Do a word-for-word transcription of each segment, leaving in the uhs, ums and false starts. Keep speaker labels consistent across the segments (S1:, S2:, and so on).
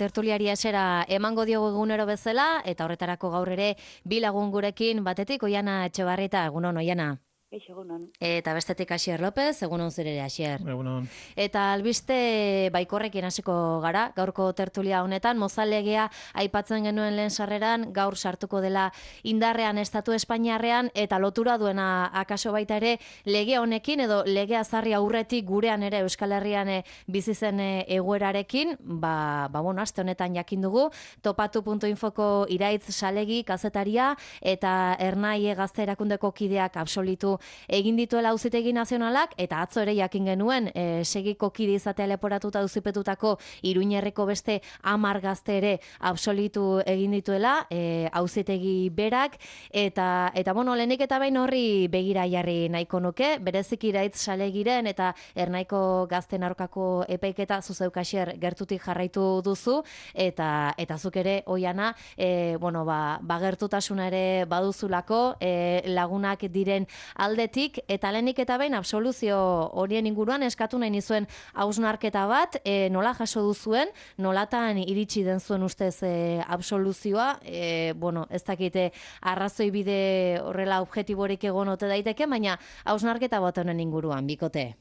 S1: Tertuliari esera emango diogu egunero bezala, eta horretarako gaur ere bi lagun gurekin batetik Oiana Etxebarrieta, egunon Oiana.
S2: Eixo, egunon.
S1: Eta bestetik Asier López, egunon zure ere Asier.
S3: Egunon.
S1: Eta albiste baikorrekin hasiko gara, gaurko tertulia honetan, Mozal-legea aipatzen genuen lehen sarreran, gaur sartuko dela indarrean estatu Espainiarrean, eta lotura duena akaso baita ere lege honekin, edo legea zarri aurretik gurean ere Euskal Herrian e, bizi zen e, egoerarekin, ba, ba bueno, aste honetan jakin dugu, topatu puntu infoko Iraitz Salegi kazetaria, eta Ernai Gazte Erakundeko kideak absolitu egin dituela Auzitegi Nazionalak, eta atzo ere jakin genuen e, segiko kide izatea leporatuta auzipetutako Iruñerriko beste hamar gazte ere absolitu egin dituela e, Auzitegi berak, eta eta bueno, lehenik eta behin horri begira jarri nahiko nuke, berezik Iraitz Salegiren eta Ernaiko gazten aurkako epaiketa zuzeuk Asier gertutik jarraitu duzu, eta eta zuk ere Oiana, e, bueno, ba, ba gertutasuna ere baduzulako e, lagunak diren aldetik, eta lehenik eta behin absoluzio horien inguruan eskatu nahi nizuen hausnarketa bat, e, nola jaso duzuen, nolatan iritsi den zuen ustez e, absoluzioa, e, bueno, ez dakite arrazoi bide horrela objektiborik egon ote daiteke, baina hausnarketa bat honen inguruan, bikote.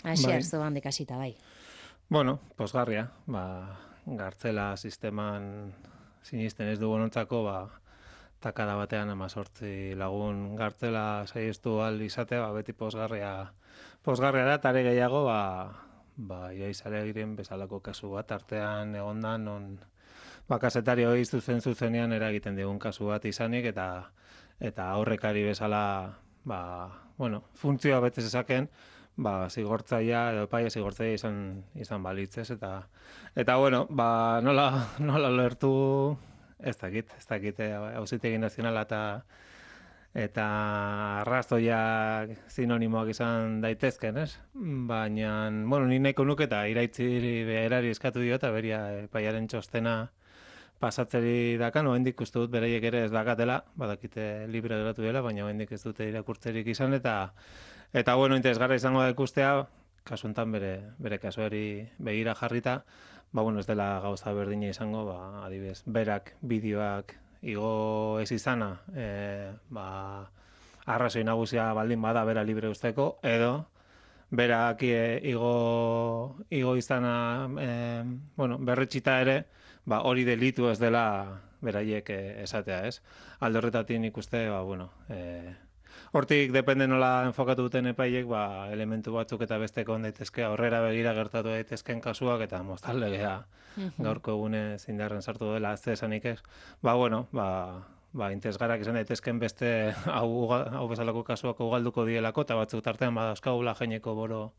S1: Asier,
S3: Bai.
S1: zu handik hasita bai.
S3: Bueno, posgarria, ba, gartzela sisteman sinisten ez dugunontzako, ba, takada batean amazortzi lagun gartzela saiestu ahal izatea, ba, beti posgarria, posgarria da, tare gehiago, ba, ba, Iraitz Salegiren bezalako kasu bat, artean egondan, non, ba, kazetari hori zuzen zuzenean eragiten digun kasu bat izanik, eta eta aurrekari bezala, ba, bueno, funtzioa bete zezaken, ba, zigortzaia edo epaia zigortzaia izan izan balitzez, eta eta bueno, ba, nola nola lertu ez dakit, ez dakit Auzitegi Nazionala eta eta arrazoiak sinonimoak izan daitezken, ez? Baina, bueno, ni nahiko nuke eta Iraitziri berari eskatu dio eta beria epaiaren txostena pasatzeri dakan, oraindik uste dut beraiek ere ez dakatela, badakite libre geratu dela, baina oraindik ez dute irakurtzerik izan, eta eta bueno, interesgarra izango da ikustea, kasu honetan bere bere kasuari begira jarrita, ba bueno, ez dela gauza berdina izango, ba adibidez, berak bideoak igo ez izana, e, ba arrazoi nagusia baldin bada bera libre usteko, edo berak e, igo igo izana e, bueno, berretxita ere, ba hori delitu ez dela beraiek e, esatea, ez? Alde horretatik nik uste, ba bueno, e, hortik depende nola enfokatu duten epaiek, ba elementu batzuk eta besteko on daitezke, aurrera begira gertatu daitezken kasuak, eta Mozal-legea gaurko egunez indarren sartu dela, ez esanik ez. Ba bueno, ba ba interesgarrak izan daitezken beste hau hau bezalako kasuak ugalduko dielako, eta batzuk tartean badauzkagula Jaineko boro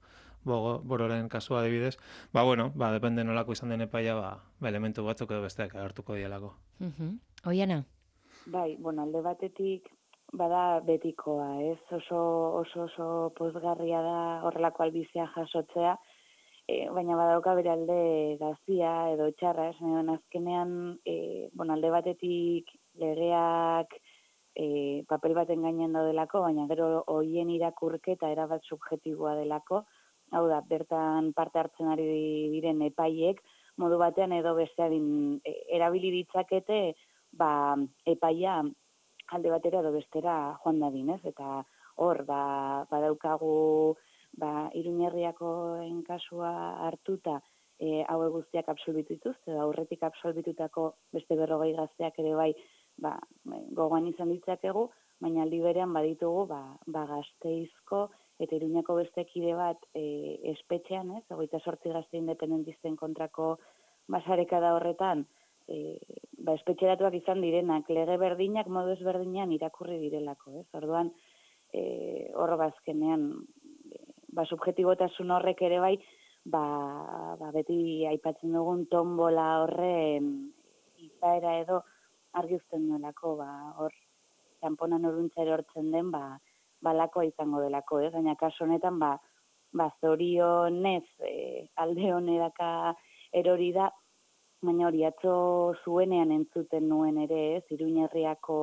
S3: Bogo, bororen kasua adibidez, ba bueno, ba depende nolako izan den epaia, ba, ba elementu batzuk edo besteak agertuko dielako.
S1: Uh-huh. Oiana?
S2: Bai, bueno, alde batetik bada betikoa, ez? Oso oso oso pozgarria da horrelako albizea jasotzea, e, baina badauka bere alde gazia edo txarra, ez? Azkenean, e, bueno, alde batetik legeak e, papel baten gainean daudelako, baina gero hoien irakurketa erabat subjektiboa delako. Hau da, bertan parte hartzen ari diren epaiek, modu batean edo bestean erabili ditzakete, ba, epaia alde batera edo bestera joan dadin, ez? Eta hor, ba, badaukagu, ba, Iruñerriakoen kasua hartuta, e, haue guztiak absolbitu dituzte, edo aurretik absolbitutako beste berrogei gazteak ere bai, ba, gogoan izan ditzakegu, baina aldi berean baditugu, ba, ba Gasteizko, eta Iruñako beste kide bat e, espetxean, ez, hogeita zortzi gazte independentisten kontrako basarekada horretan, e, ba, espetxeratuak izan direnak, lege berdinak modu ezberdinean irakurri direlako, ez, orduan, e, hor bazkenean, e, ba, subjetibotasun horrek ere bai, ba, ba, beti aipatzen dugun tombola horren izaera edo argi uzten duelako, ba, hor, kanponan oruntza erortzen den, ba, balakoa izango delako, ez? Baina kasu honetan, ba, ba zorionez e, alde honeraka erori da, baina hori atzo zuenean entzuten nuen ere, ez? Iruñerriako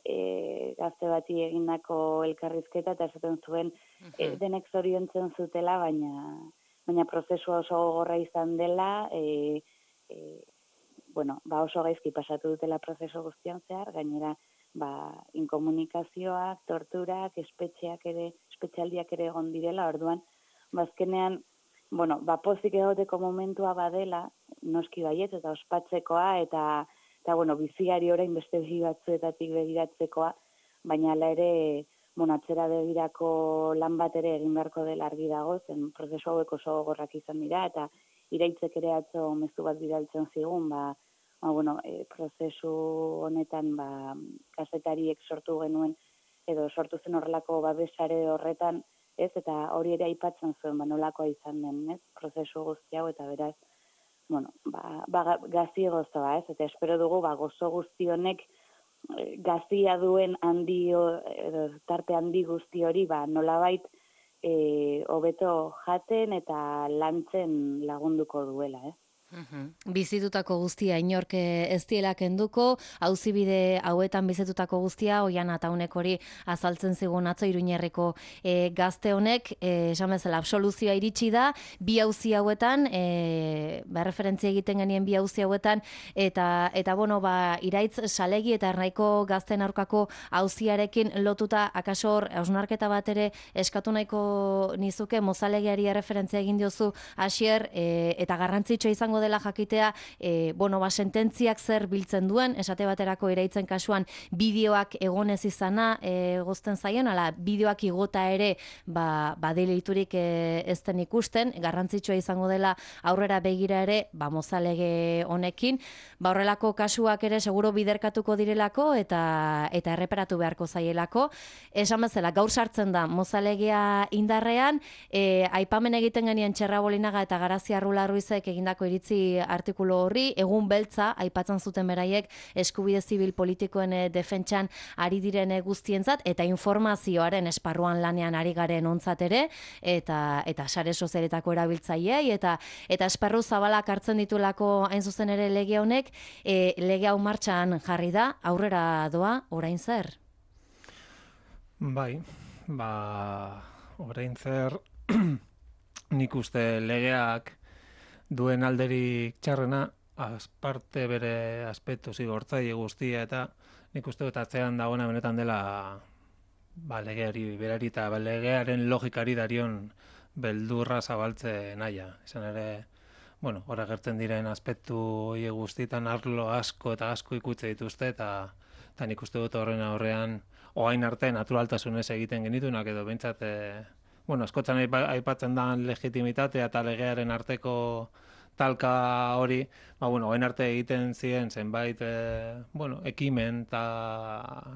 S2: e, gazte bati egindako elkarrizketa, eta esaten zuen e, denek zoriontzen zutela, baina baina prozesua oso gogorra izan dela, e, e, bueno, ba oso gaizki pasatu dutela prozesu guztian zehar, gainera ba, inkomunikazioak, torturak, espetxeak ere, espetxaldiak ere egon direla, orduan, bazkenean, bueno, ba, pozik egoteko momentua badela, noski baiet, eta ospatzekoa, eta, eta bueno, biziari orain beste begi batzuetatik begiratzekoa, baina ala ere, bueno, atzera begirako lan bat ere egin beharko dela argi dago, zen prozesu hauek oso gogorrak izan dira, eta iraitzek ere atzo mezu bat bidaltzen zigun, ba, ba bueno, e, prozesu honetan, ba, kazetariek sortu genuen, edo sortu zen horrelako babesare horretan, ez, eta hori ere aipatzen zuen, ba, nolakoa izan den, ez, prozesu guzti hau, eta beraz, bueno, ba, ba gazi gozoa, ez, eta espero dugu, ba, gozo guzti honek, gazia duen handi, edo tarte handi guzti hori, ba, nolabait, e, hobeto jaten eta lantzen lagunduko duela, eh?
S1: Bizitutako guztia inork ez diela kenduko, auzibide hauetan bizitutako guztia, oian ataunek hori azaltzen zigun atzo Iruñerriko e, gazte honek, e, esan bezala absoluzioa iritsi da, bi auzi hauetan, e, ba, referentzia egiten genien bi auzi hauetan, eta, eta bueno, ba, iraitz salegi eta ernaiko gazten aurkako auziarekin lotuta, akaso hor, hausnarketa bat ere eskatu nahiko nizuke, mozalegiari referentzia egin diozu, Asier, e, eta garrantzitsua izango dela jakitea, e, bueno, ba, sententziak zer biltzen duen, esate baterako iraitzen kasuan bideoak egonez izana e, gozten zaien, ala bideoak igota ere ba, ba deliturik e, ez den ikusten, garrantzitsua izango dela aurrera begira ere, ba, mozalege honekin, ba, horrelako kasuak ere seguro biderkatuko direlako eta eta erreparatu beharko zaielako. Esan bezala, gaur sartzen da mozalegea indarrean, e, aipamen egiten genien Txerra Bolinaga eta Garazia Rula Ruizek egindako iritzi artikulu horri, egun beltza, aipatzen zuten beraiek eskubide zibil politikoen e, defentsan ari diren e, guztientzat, eta informazioaren esparruan lanean ari garen ontzat ere, eta eta sare sozialetako erabiltzaileei, eta eta esparru zabalak hartzen ditulako hain zuzen ere lege honek, e, lege hau martxan jarri da, aurrera doa, orain zer?
S3: Bai, ba, orain zer, nik uste legeak duen alderik txarrena, azparte bere aspektu zigortzaile guztia, eta nik uste dut atzean dagoena benetan dela ba, legeari berari eta ba, legearen logikari darion beldurra zabaltze naia. Izan ere, bueno, hor agertzen diren aspektu hori guztietan arlo asko eta asko ikutze dituzte, eta, eta nik uste dut horren aurrean, oain arte naturaltasunez egiten genitunak, edo behintzat, e, bueno, askotan aipatzen da legitimitatea eta legearen arteko talka hori, ba, bueno, oain arte egiten ziren zenbait, e, bueno, ekimen ta,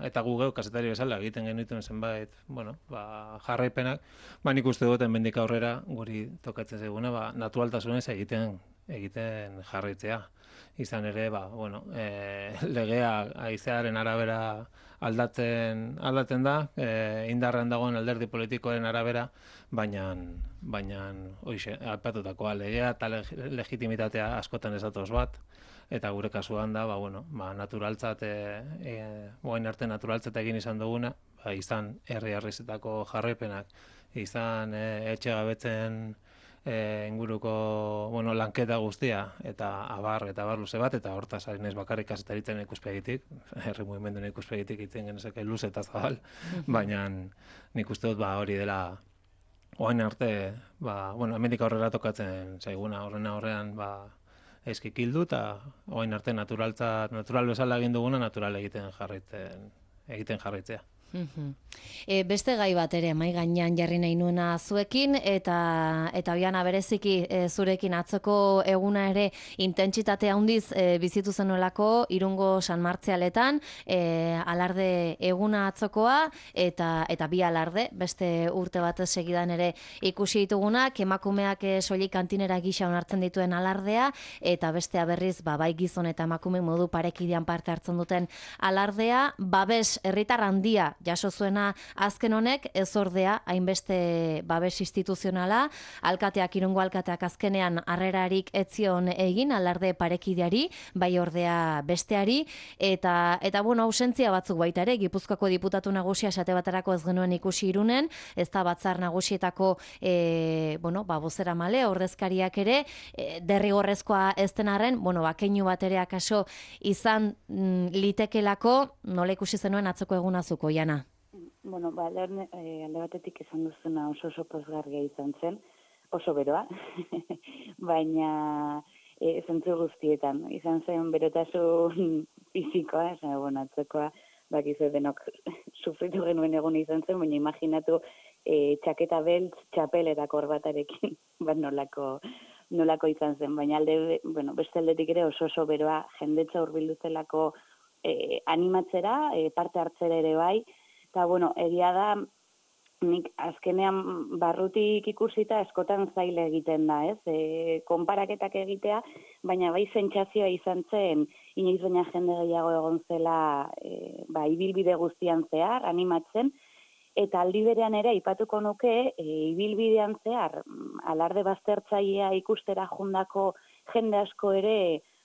S3: eta gu geu kazetari bezala egiten genituen zenbait, bueno, ba, jarraipenak, ba, nik uste dut hemendik aurrera guri tokatzen zaiguna, ba, naturaltasunez egiten egiten jarraitzea. Izan ere, ba, bueno, e, legea haizearen arabera aldatzen aldatzen da, e, indarrean dagoen alderdi politikoaren arabera, baina baina hoize, aipatutakoa legea eta legitimitatea askotan ez datoz bat, eta gure kasuan da, ba, bueno, ba, naturaltzat, e, e, oain arte naturaltzat egin izan duguna, ba, izan herri-herrizetako jarraipenak, izan e, etxegabetzen E, inguruko, bueno, lanketa guztia, eta abar, eta abar luze bat, eta hortaz ari naiz bakarrik kazetaritzen ikuspegitik, herri mugimenduen ikuspegitik itzen genezake luze eta zabal, baina nik uste dut ba, hori dela oain arte, ba, bueno, hemendik aurrera tokatzen zaiguna, horren aurrean, ba, eskik hildu, eta oain arte naturaltza, natural bezala egin duguna, natural egiten jarraitzen, egiten jarraitzea.
S1: E, beste gai bat ere mai gainean jarri nahi nuena zuekin, eta eta Oiana bereziki e, zurekin atzoko eguna ere intentsitate handiz e, bizitu zenolako Irungo San Martzialetan, e, alarde eguna atzokoa, eta eta bi alarde, beste urte bat segidan ere ikusi ditugunak, emakumeak e, soilik kantinera gisa onartzen dituen alardea, eta bestea berriz ba, bai gizon eta emakume modu parekidean parte hartzen duten alardea, babes herritar handia jaso zuena azken honek, ez ordea hainbeste babes instituzionala, alkateak, Irungo alkateak azkenean harrerarik etzion egin alarde parekideari, bai ordea besteari, eta, eta bueno, ausentzia batzuk baita ere, Gipuzkoako diputatu nagusia esate baterako ez genuen ikusi Irunen, ez da batzar nagusietako e, bueno, ba, bozera male, ordezkariak ere, e, derrigorrezkoa ez den arren, bueno, ba, keinu bat ere akaso izan mm, litekelako, nola ikusi zenuen atzoko egunazuko, Jana?
S2: Bueno, ba, lehen, e, alde batetik esan duzuna oso oso pozgarria izan zen, oso beroa, baina e, zentzu guztietan, izan zen berotasun fizikoa, esan, bueno, atzekoa, bakizu denok sufritu genuen egun izan zen, baina imaginatu e, txaketa beltz, txapel eta korbatarekin, bat nolako, nolako izan zen, baina alde, bueno, beste aldetik ere oso oso beroa, jendetza hurbildu zelako e, animatzera, e, parte hartzera ere bai, eta, bueno, egia da, nik azkenean barrutik ikusita eskotan zaile egiten da, ez? E, konparaketak egitea, baina bai sentsazioa izan zen, inoiz baina jende gehiago egon zela e, ba, ibilbide guztian zehar, animatzen, eta aldi berean ere aipatuko nuke, e, ibilbidean zehar, alarde baztertzailea ikustera jundako jende asko ere,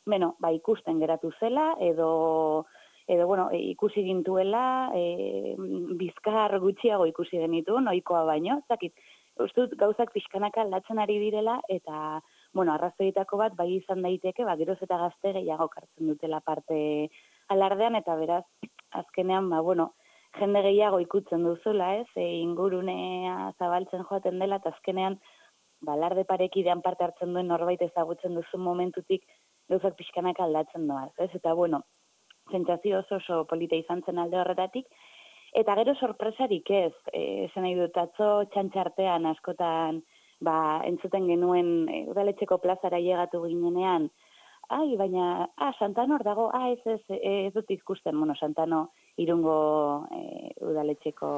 S2: bueno, ba, ikusten geratu zela, edo edo, bueno, e, ikusi gintuela, e, bizkar gutxiago ikusi genitu, noikoa baino, zakit, ustut gauzak pixkanaka aldatzen ari direla, eta, bueno, arrazoietako bat, bai izan daiteke, ba, geroz eta gazte gehiago kartzen dutela parte alardean, eta beraz, azkenean, ba, bueno, jende gehiago ikutzen duzula, ez, e, ingurunea zabaltzen joaten dela, eta azkenean, ba, alarde parekidean parte hartzen duen norbait ezagutzen duzun momentutik, gauzak pixkanaka aldatzen doaz, ez, eta, bueno, sentsazio oso oso polita izan zen alde horretatik, eta gero sorpresarik ez, e, esan nahi dut atzo txantxartean askotan ba, entzuten genuen e, udaletxeko plazara llegatu ginenean, ai, baina, ah, Santano hor dago, ah, ez, ez, ez dut ikusten, bueno, Santano Irungo e, udaletxeko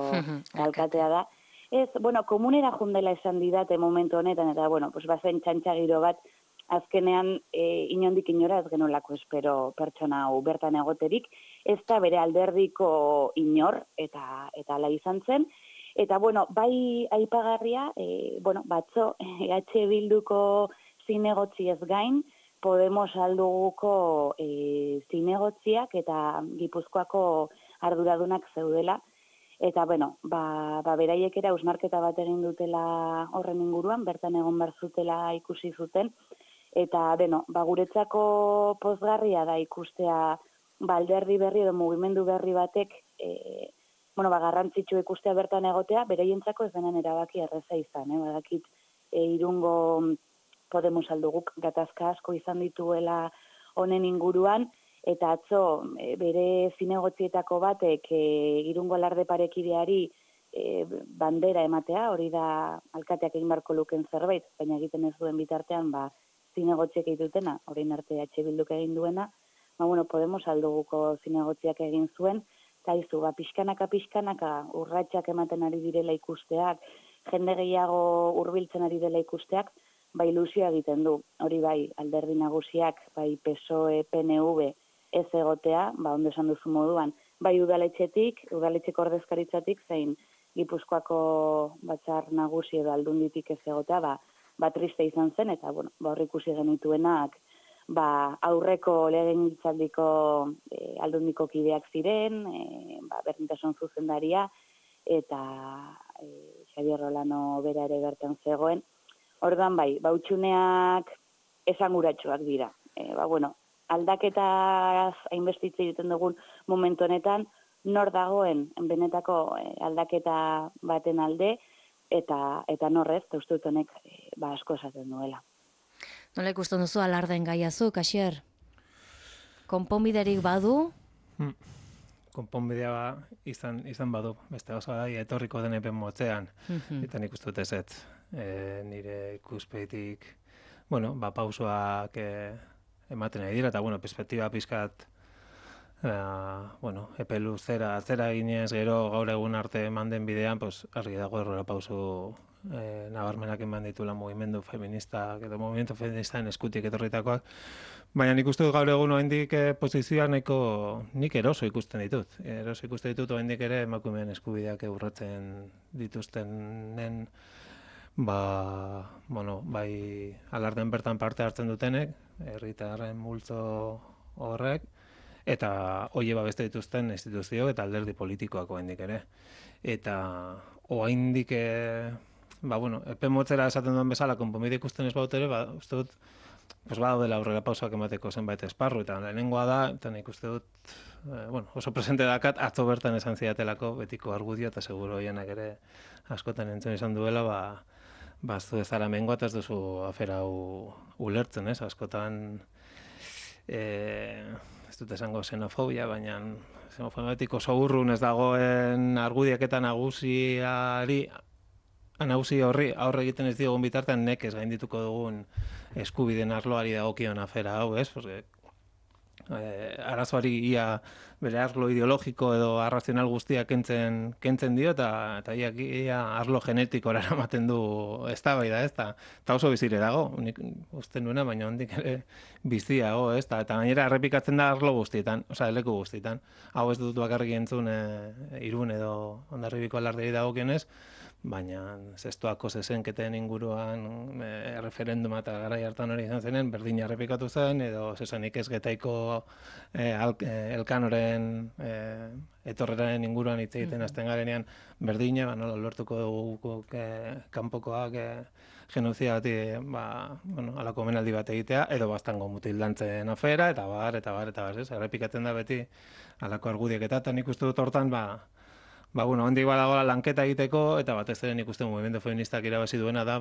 S2: alkatea da. Ez, bueno, komunera jundela esan didate momentu honetan, eta, bueno, pues bazen txantxagiro bat, azkenean e, inondik inora ez genolako espero pertsona hau bertan egoterik, ez da bere alderdiko inor, eta eta ala izan zen. Eta, bueno, bai aipagarria, e, bueno, batzo, E H Bilduko zinegotzi ez gain, Podemos alduguko e, zinegotziak eta Gipuzkoako arduradunak zeudela. Eta, bueno, ba, ba beraiek era hausnarketa bat egin dutela horren inguruan, bertan egon behar zutela ikusi zuten, eta, beno, ba, guretzako pozgarria da ikustea ba, alderdi berri edo mugimendu berri batek, e, bueno, ba, garrantzitsu ikustea bertan egotea, beraientzako ez denen erabaki erreza izan, eh? Badakit, e, Irungo Podemos alduguk gatazka asko izan dituela honen inguruan, eta atzo e, bere zinegotzietako batek e, Irungo alarde parekideari e, bandera ematea, hori da alkateak egin barko luken zerbait, baina egiten ez duen bitartean, ba, zinegotziak egitutena, orain arte H Bilduk egin duena, ba, bueno, Podemos alduguko zinegotziak egin zuen, eta izu, ba, pixkanaka, pixkanaka, urratsak ematen ari direla ikusteak, jende gehiago hurbiltzen ari dela ikusteak, ba, ilusioa egiten du. Hori bai, alderdi nagusiak, bai P S O E, P N V, ez egotea, ba, ondo esan duzu moduan, bai udaletxetik, udaletxeko ordezkaritzatik, zein Gipuzkoako batzar nagusi edo aldunditik ez egotea, ba, ba triste izan zen, eta, bueno, ba, hor ikusi genituenak, ba, aurreko legegintzaldiko e, aldundiko kideak ziren, e, ba, berdintasun zuzendaria, eta e, Xabier Rolano bera ere bertan zegoen. Orduan bai, ba, utxuneak esanguratsuak dira. E, ba, bueno, aldaketaz hainbestitze egiten dugun momentu honetan, nor dagoen benetako aldaketa baten alde, eta eta norrez, eta uste dut honek ba, asko esaten duela.
S1: Nola ikusten duzu alarden gaiazu, Kasier? Konponbiderik badu?
S3: Hmm. Konponbidea ba, izan, izan badu, beste gauza da, etorriko den epen motzean, mm-hmm. eta nik uste dut ezet, e, nire ikuspegitik, bueno, ba, pausoak e, ematen ari dira, eta, bueno, perspektiba pizkat, e, bueno, epe luzera, atzera ginez gero gaur egun arte eman den bidean, pues, argi dago errora pauso e, nabarmenak eman dituela mugimendu feminista, edo mugimendu feministaren eskutik etorritakoak, baina nik uste dut gaur egun oraindik e, posizioak nahiko nik eroso ikusten ditut. Eroso ikusten ditut oraindik ere emakumeen eskubideak urratzen dituztenen, ba, bueno, bai alardean bertan parte hartzen dutenek, herritarren multzo horrek, eta hoe babeste dituzten instituzio eta alderdi politikoak oraindik ere. Eta oraindik e, ba, bueno, epe motzera esaten duen bezala, konponbide ikusten ez baut ere, ba, uste dut, pues badaudela aurrera pausoak emateko zenbait esparru, eta lehenengoa da, eta nik uste dut, e, bueno, oso presente dakat, atzo bertan esan zidatelako betiko argudio, eta seguro hienak ere askotan entzun izan duela, ba, ba, zu ez zara mengoa, eta ez duzu afera hau ulertzen, ez, askotan, e, ez dut esango xenofobia, baina xenofobiatik oso urrun ez dagoen argudiak eta nagusiari, nagusi horri aurre egiten ez diogun bitartean nekez gaindituko dugun eskubideen arloari dagokion afera hau, ez? Porque, eh, arazoari ia bere arlo ideologiko edo arrazional guztiak kentzen, kentzen dio, eta, eta ia, ia arlo genetikora eramaten du eztabaida, ez? Ta, eta oso bizire dago, nik uste nuena, baina hondik ere biziago, ez? Ta, eta gainera errepikatzen da arlo guztietan, osea, leku guztietan. Hau ez dut bakarrik entzun e, Irun edo Hondarribiko alardei dagokionez, baina zestoako zezenketen inguruan e, referenduma eta garai hartan hori izan zenen, berdina errepikatu zen, edo zesanik ez Getaiko e, al, e, elkanoren e, etorreraren inguruan hitz egiten hasten garenean berdina, ba, nola lortuko dugu e, kanpokoak e, genozia bat, ba, bueno, alako omenaldi bat egitea, edo baztango mutildantzen afera, eta bar, eta bar, eta bar, ez? Errepikatzen da beti alako argudiek eta, eta nik uste dut hortan, ba, Ba, bueno, hondik badagoela lanketa egiteko, eta batez ere nik uste mugimendu feministak irabazi duena da,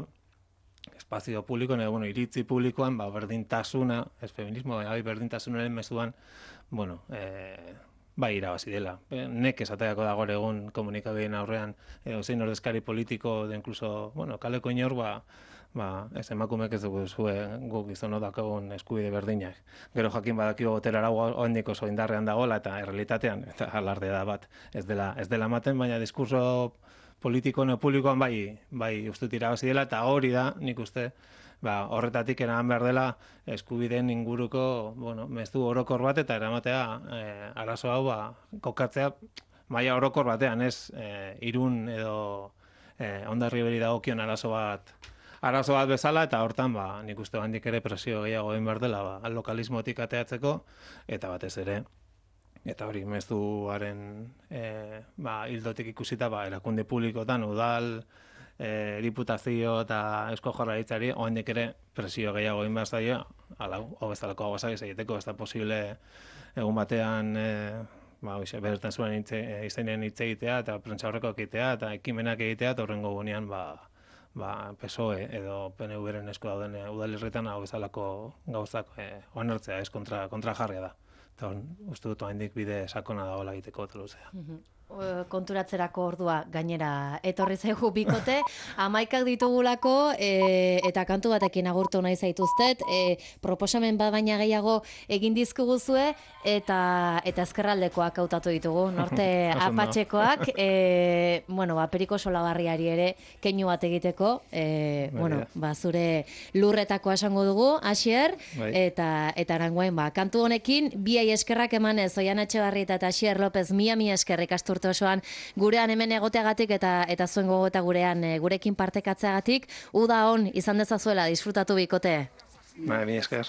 S3: espazio publikoan, edo, bueno, iritzi publikoan, ba, berdintasuna, ez feminismo, bai, berdintasunaren mezuan, bueno, e, bai irabazi dela. E, nek esateako dago egun komunikabideen aurrean, edo zein ordezkari politiko, de incluso, bueno, kaleko inor, ba, ba, ez emakumek ez dugu zuen guk izono dakagun eskubide berdinak. Gero jakin badakio botera arau oraindik oso indarrean dagoela eta errealitatean eta alardea da bat ez dela ez dela ematen, baina diskurso politiko no publikoan bai bai uste irabazi dela eta hori da nik uste ba, horretatik eraman behar dela eskubideen inguruko, bueno, mezu orokor bat eta eramatea eh, arazo hau ba, kokatzea maila orokor batean, ez eh, Irun edo eh, Hondarriberi dagokion arazo bat arazo bat bezala, eta hortan, ba, nik uste handik ere presio gehiago egin behar dela, ba, lokalismotik ateatzeko, eta batez ere, eta hori mezuaren e, ba, hildotik ikusita, ba, erakunde publikotan, udal, e, diputazio eta eusko jaurlaritzari, handik ere presio gehiago egin behar zaio, ala, hau bezalako hau ez egiteko, ez da posible egun batean, e, ba, oixe, bertan zuen izainen hitz egitea, eta prentsa horreko egitea, eta ekimenak egitea, eta horrengo gunean, ba, ba, P S O E edo P N V-ren esku dauden e, udalerritan hau bezalako gauzak e, onartzea, ez kontra, kontra jarria da. Eta uste dut oraindik bide sakona dagoela egiteko eta luzea.
S1: Konturatzerako ordua gainera etorri zaigu bikote, hamaikak ditugulako e, eta kantu batekin agurtu nahi zaituztet, e, proposamen bat baina gehiago egin dizkiguzue eta eta ezkerraldekoak hautatu ditugu, norte apatxekoak, e, bueno, ba, Periko Solabarriari ere keinu bat egiteko, e, bueno, ba, zure lurretakoa esango dugu, Asier, eta eta arangoen, ba, kantu honekin, biai eskerrak emanez, Oian Etxebarrieta eta Asier López, mia mia eskerrik asturte osoan gurean hemen egoteagatik eta eta zuen gogota gurean e, gurekin partekatzeagatik, uda on izan dezazuela, disfrutatu bikote.
S3: Bai, mila esker.